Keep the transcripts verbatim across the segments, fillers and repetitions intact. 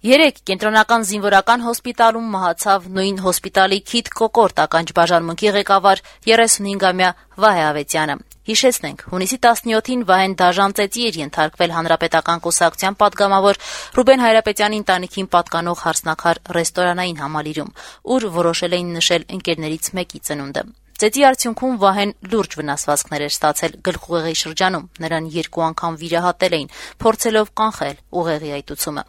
Երեկ կենտրոնական զինվորական հոսպիտալում մահացավ նույն հոսպիտալի քիթ կոկորտ ականջբաժանմունքի ղեկավար երեսունհինգամյա Վահե Ավետյանը։ Հիշեցնենք, հունիսի տասնյոթին Վահեն դաժան ծեծի էր ենթարկվել Հանրապետական կուսակցության պատգամավոր Ռուբեն Հայրապետյանի ընտանիքին պատկանող հարսնաքար ռեստորանային համալիրում, ուր որոշել էին նշել ընկերներից մեկի ծնունդը։ Ծեծի արդյունքում Վահեն լուրջ վնասվածքներ էր ստացել գլխուղեղի շրջանում, նրան երկու անգամ վիրահատել էին, փորձելով կանխել ուղեղի այտուցումը։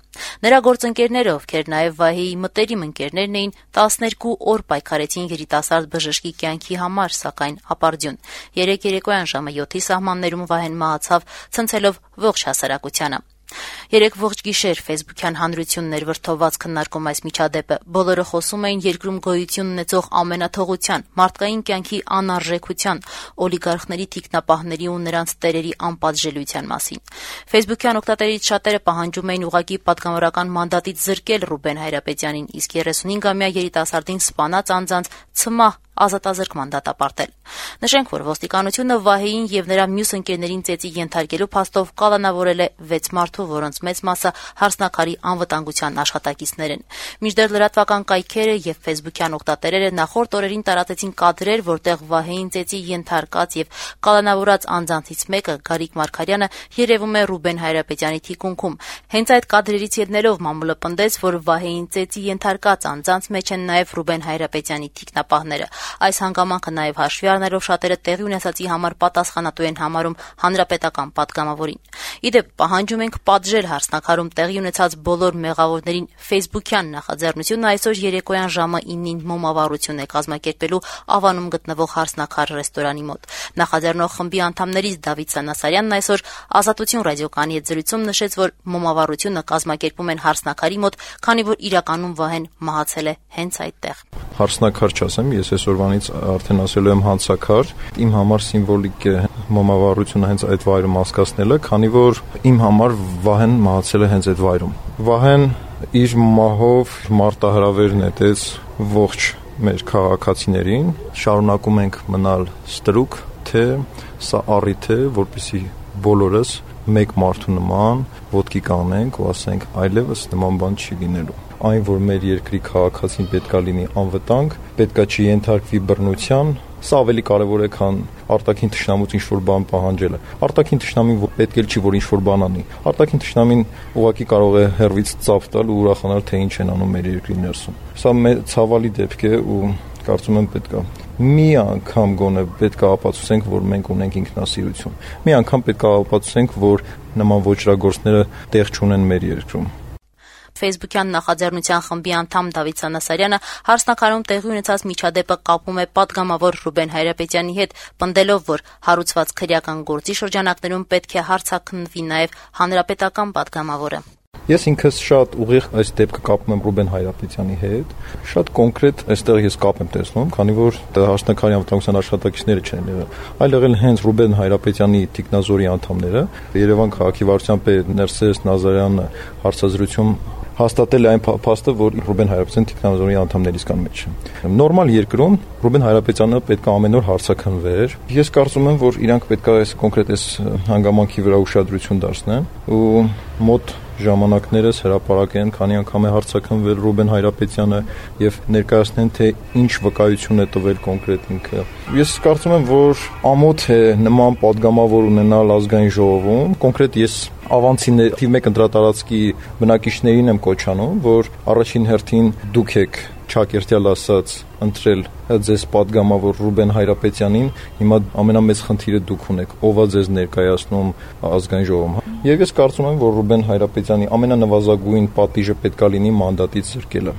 Նրա գործընկերները, ովքեր նաև Վահեի մտերիմ ընկերներն էին, տասներկու օր պայքարեցին երիտասարդ բժշկի կյանքի համար, սակայն ապարդյուն։ Երեկ երեկոյան ժամը յոթի սահմաններում Վահեն մահացավ, ցնցելով ողջ հասարակությանը։ Երեկ ողջ գիշեր ֆեյսբուքյան հանրությունն էր վրդովված քննարկում այս միջադեպը։ Բոլորը խոսում էին երկրում գոյություն ունեցող ամենաթողության, մարդկային կյանքի անարժեքության, օլիգարխների թիկնապահների ու նրանց տերերի անպատժելիության մասին։ Ֆեյսբուքյան օգտատերից շատերը պահանջում էին ուղղակի պատգամավորական մանդատից զրկել Ռուբեն Հայրապետյանին, իսկ երեսունհինգամյա երիտասարդին սպանած անձանց ցմահ ազատազրկման դատապարտել։ Նշենք, որ ոստիկանությունը Վահեին եւ նրա մյուս ընկերներին ծեծի ենթարկելու փաստով կալանավորել է վեց մարդու, որոնց մեծ մասը հարսնաքարի անվտանգության աշխատակիցներ են։ Մինչդեռ լրատվական կայքերը եւ ֆեյսբուքյան օգտատերերը նախորդ օրերին տարածեցին կադրեր, որտեղ Վահեին ծեծի ենթարկած եւ կալանավորած անձանցից մեկը, Գարիկ Մարգարյանը, երևում է Ռուբեն Հայրապետյանի թիկունքում։ Հենց այդ կադրերից ելնելով մամուլը պնդեց, որ Վահեին ծեծի ենթարկած անձանց մեջ են նաեւ Ռուբեն Հայրապետյանի թիկնապահները։ Այս հանգամանքը նաև հաշվի առնելով շատերը տեղի ունեցածի համար պատասխանատու են համարում հանրապետական պատգամավորին։ Իդեպ պահանջում ենք պատժել հարսնաքարում տեղի ունեցած բոլոր մեղավորներին ֆեյսբուքյան նախաձեռնությունը այսօր երեկոյան ժամը իննին մոմավառություն է կազմակերպելու Ավանում գտնվող հարսնաքար ռեստորանի մոտ։ Նախաձեռնող խմբի անդամներից Դավիթ Սանասարյանն այսօր Ազատություն ռադիոկայանի հետ զրույցում նշեց, որ մոմավառությունը կազմակերպում են հարսնաքարի մոտ, քանի որ իրականում Վահեն մահացել է հենց այդտեղ։ Հարսնաքար չասեմ, ես այսօրվանից արդեն ասելու եմ հանցաքար։ Իմ համար սիմվոլիկ է մոմավառությունը հենց այդ վայրում անցկացնելը, քանի որ իմ համար Վահեն մահացել է հենց այդ վայրում։ Վահեն իր մահով մարտահրավեր նետեց ողջ մեր քաղաքացիներին, շարունակում ենք մնալ ստրուկ, թե սա առիթ է, որպեսզի բոլորս մեկ մարդու նման ոտքի կանենք ու ասենք այլևս նման բան չի լինելու։ Այն, որ մեր երկրի քաղաքացին պետքա լինի անվտանգ, պետքա չի ենթարկվի բռնության, սա ավելի կարևոր է, քան արտաքին թշնամուց ինչ-որ բան պահանջելը։ Արտաքին թշնամին պետք է չի, որ ինչ-որ բան անի։ Արտաքին թշնամին ուղղակի կարող է հեռվից ծափ տալ ու ուրախանալ, թե ինչ են անում մեր երկրի ներսում։ Սա ցավալի դեպք է ու կարծում եմ պետքա մի անգամ գոնե պետքա ապացուցենք, որ մենք ունենք ինքնասիրություն։ Մի անգամ պետքա ապացուցենք, որ նման ոճրագործները տեղ չունեն մեր երկրում։ Ֆեյսբուքյան նախաձեռնության խմբի անդամ Դավիթ Սանասարյանը հարսնաքարում տեղի ունեցած միջադեպը կապում է պատգամավոր Ռուբեն Հայրապետյանի հետ, պնդելով, որ հարուցված քրեական գործի շրջանակներում պետք է հարցաքննվի նաև հանրապետական պատգամավորը։ Ես ինքս շատ ուղիղ այս դեպքը կապում եմ Ռուբեն Հայրապետյանի հետ, շատ կոնկրետ այստեղ ես կապ եմ տեսնում, քանի որ հարսնաքարի անվտանգության աշխատակիցները չեն եղել, այլ եղել հենց Ռուբեն Հայրապետյանի թիկնազորի անդամները, Երևան քաղաքի վարչության պետ Ներսես Նազարյանը հարցազրույցում հաստատել է այն փաստը, որ Ռուբեն Հայրապետյանը թիկնազորի անդամներից կան մեջ։ Նորմալ երկրում Ռուբեն Հայրապետյանը պետք է ամեն օր հարցաքննվեր։ Ես կարծում եմ, որ իրանք պետք է այս կոնկրետ այս հանգամանքի վրա ուշադրություն դարձնեն ու մոտ ժամանակներս հրապարակեն, քանի անգամ է հարցաքննվել Ռուբեն Հայրապետյանը եւ ներկայացնեն, թե ինչ վկայություն է տվել կոնկրետ ինքը։ Ես կարծում եմ, որ ամոթ է նման падգամավոր ունենալ ազգային ժողովում։ Կոնկրետ ես ավանցիներ թիվ մեկ ընտրատարածքի բնակիչներին եմ կոչանում, որ առաջին հերթին դուք եք Չակերտյալ ասած ընտրել ձեզ падգամավոր Ռուբեն Հայրապետյանին, հիմա ամենամեծ խնդիրը դուք ունեք, ով է ձեզ ներկայացնում ազգային ժողովում։ Եվ ես կարծում եմ, որ Ռուբեն Հայրապետյանի ամենանվազագույն պատիժը պետք է լինի մանդատից զրկելը։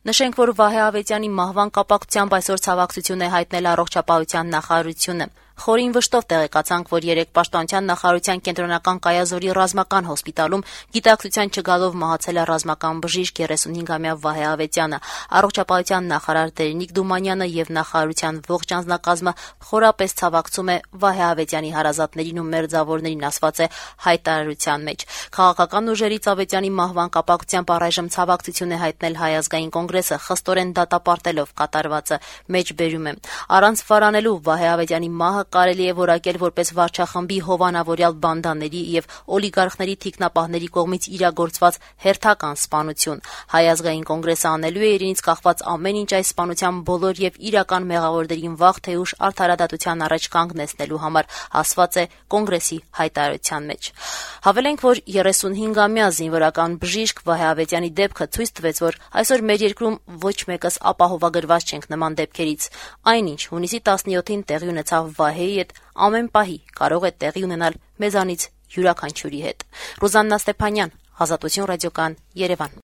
Նշենք, որ Վահե Ավետյանի մահվան կապակցությամբ այսօր ցավակցություն է հայտնել առողջապահության նախարարությունը։ Խորին վշտով տեղեկացանք, որ երեկ Պաշտպանության նախարարության կենտրոնական կայազորի ռազմական հոսպիտալում գիտակցության չգալով մահացել է ռազմական բժիշկ երեսունհինգամյա Վահե Ավետյանը։ Առողջապահության նախարար Տերնիկ Դումանյանը եւ նախարարության ողջ անձնակազմը խորապես ցավակցում է Վահե Ավետյանի հարազատներին ու մերձավորներին, ասված է հայտարարության մեջ։ Քաղաքական ուժերից Ավետյանի մահվան կապակցությամբ առայժմ ցավակցություն է հայտնել Հայ ազգային կոնգրեսը, խստորեն դատապարտելով կատարվածը, մեջբերում է։ Առանց վարանելու Վահե Ավետյանի մահը կարելի է որակել որպես վարչախմբի հովանավորյալ բանդաների եւ օլիգարխների թիկնապահների կողմից իրագործված հերթական սպանություն։ Հայ ազգային կոնգրեսը անելու է իրենից կախված ամեն ինչ այս սպանության բոլոր եւ իրական մեղավորներին վաղ թե ուշ արդարադատության առաջ կանգնեցնելու համար, ասված է կոնգրեսի հայտարարության մեջ։ Հավելենք, որ երեսունհինգամյա զինվորական բժիշկ Վահե Ավետյանի դեպքը ցույց տվեց, որ այսօր մեր երկրում ոչ մեկս ապահովագրված չենք նման դեպքերից։ Այնինչ հունիսի տասնյոթին տեղի ունեցավ Վահեի հետ, ամեն պահի կարող է տեղի ունենալ մեզանից յուրաքանչյուրի հետ։ Ռուզաննա Ստեփանյան, Ազատություն ռադիոկան, Երևան։